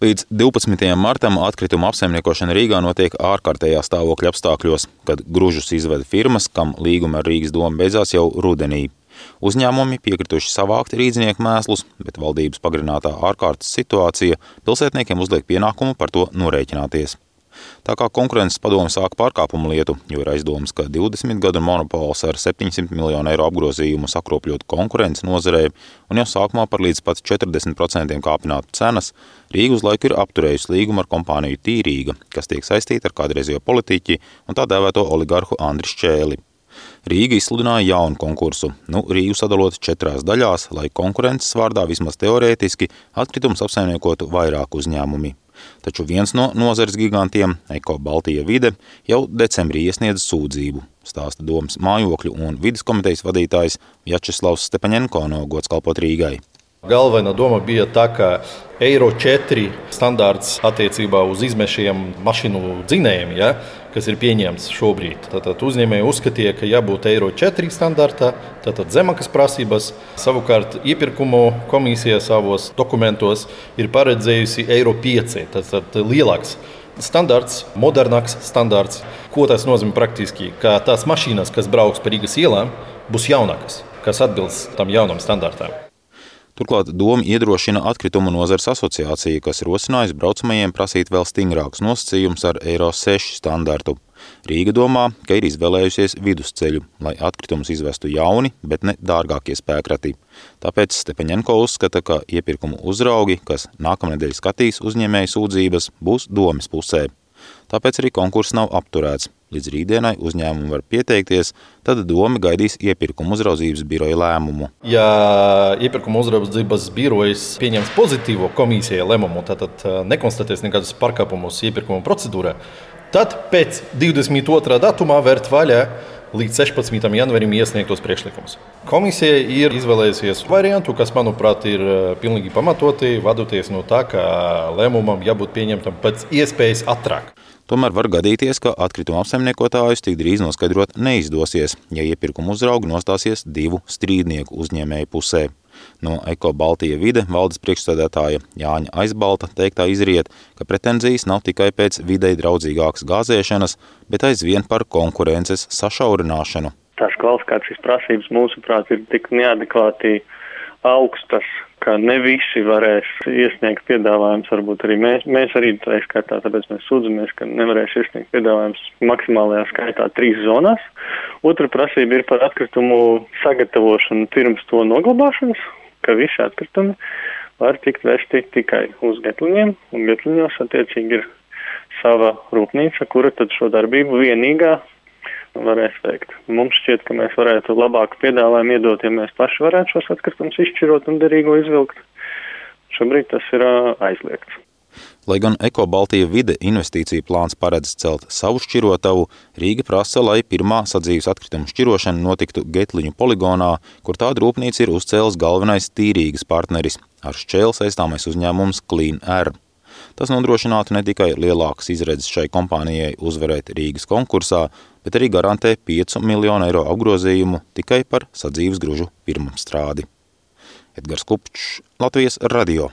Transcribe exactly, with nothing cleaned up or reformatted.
Līdz divpadsmitajam martam atkrituma apsaimniekošana Rīgā notiek ārkārtējā stāvokļa apstākļos, kad gružus izveda firmas, kam līguma ar Rīgas domu beidzās jau rudenī. Uzņēmumi piekrituši savākt rīdzinieku mēslus, bet valdības pagarinātā ārkārtas situācija pilsētniekiem uzliek pienākumu par to norēķināties. Tā kā konkurences padome sāka pārkāpumu lietu, jo ir aizdomas, ka divdesmit gadu monopols ar septiņsimt miljonu eiro apgrozījumu sakropļot konkurences nozarē un jau sākumā par līdz pat četrdesmit procentiem kāpinātu cenas, Rīga uz laiku ir apturējusi līgumu ar kompāniju Tīrīga, kas tiek saistīta ar kādreizējo politiķi un tā dēvēto oligarhu Andri Šķēli. Rīga izsludināja jaunu konkursu, nu Rīgu sadalot četrās daļās, lai konkurences vārdā vismaz teorētiski atkritumus apsaimniekotu vairāk uzņēmumi. Taču viens no nozares gigantiem, Eko Baltija Vide, jau decembrī iesniedz sūdzību, stāsta domas mājokļu un vides komitejas vadītājs Vjačeslavs Stepaņenko no Gods kalpot Rīgai. Galvenā doma bija tā, ka eiro četri standārts attiecībā uz izmešiem mašīnu dzinējiem, ja, kas ir pieņemts šobrīd. Tātad uzņēmēji uzskatīja, ka jābūt eiro četri standartā, tātad zemākas prasības. Savukārt iepirkumu komisija savos dokumentos ir paredzējusi eiro pieci, tātad lielāks standarts, modernāks standarts. Ko tas nozīmē praktiski? Ka tās mašīnas, kas brauks pa Rīgas ielām, būs jaunākas, kas atbilst tam jaunam standartam. Turklāt doma iedrošina atkritumu nozares asociāciju, kas rosinājusi braucamajiem prasīt vēl stingrākus nosacījumus ar eiro seši standartu. Rīga domā, ka ir izvēlējusies vidusceļu, lai atkritumus izvestu jauni, bet ne dārgākie spēkrati. Tāpēc Stepaņenko uzskata, ka iepirkumu uzraugi, kas nākamnedēļ skatīs uzņēmēju sūdzības, būs domes pusē. Tāpēc arī konkurss nav apturēts. Līdz rītdienai uzņēmumi var pieteikties, tad doma gaidīs iepirkuma uzraudzības biroja lēmumu. Ja iepirkuma uzraudzības birojas pieņems pozitīvo komisijai lēmumu, tad nekonstatēs nekādus pārkāpumus iepirkuma procedūrā, tad pēc divdesmit otrā datumā vērt vaļā līdz sešpadsmitajam janvarim iesniegtos priekšlikumus. Komisija ir izvēlējusies variantu, kas, manuprāt, ir pilnīgi pamatoti, vadoties no tā, ka lēmumam jābūt pieņemtam pēc iespējas ātrāk. Tomēr var gadīties, ka atkrituma apsaimniekotājus tik drīz noskaidrot neizdosies, ja iepirkuma uzraugi nostāsies divu strīdnieku uzņēmēju pusē. No Eko Baltija Vide valdes priekšsēdētāja Jāņa Aizbalta teiktā izriet, ka pretenzijas nav tikai pēc videi draudzīgākas gāzēšanas, bet aizvien par konkurences sašaurināšanu. Tās kvalifikācijas prasības, mūsuprāt, ir tik neadekvāti augstas, ka ne visi varēs iesniegt piedāvājums, varbūt arī mēs, mēs arī tā skaitā, tāpēc mēs sūdzamies, ka nevarēs iesniegt piedāvājums maksimālajā skaitā trīs zonās. Otra prasība ir par atkritumu sagatavošanu pirms to noglabāšanas, ka visi atkritumi var tikt vesti tikai uz Getliņiem, un Getliņos attiecīgi ir sava rūpnīca, kura tad šo darbību vienīgā varēs veikt. Mums šķiet, ka mēs varētu labāku piedāvājumu iedot, ja mēs paši varētu šos atkritumus izšķirot un derīgo izvilkt. Šobrīd tas ir aizliegts. Lai gan Eko Baltija Vide investīciju plāns paredz celt savu šķirotavu, Rīga prasa, lai pirmā sadzīves atkritumu šķirošana notiktu Getliņu poligonā, kur tāda rūpnīca ir uzcēlis galvenais Tīrīgas partneris, ar šķēli saistāmais uzņēmums Clean Air. Tas nodrošinātu ne tikai lielākas izredzes šai kompānijai uzvarēt Rīgas konkursā, bet arī garantē piecu miljonu eiro apgrozījumu tikai par sadzīves gružu pirmapstrādi. Edgars Kupčs, Latvijas radio.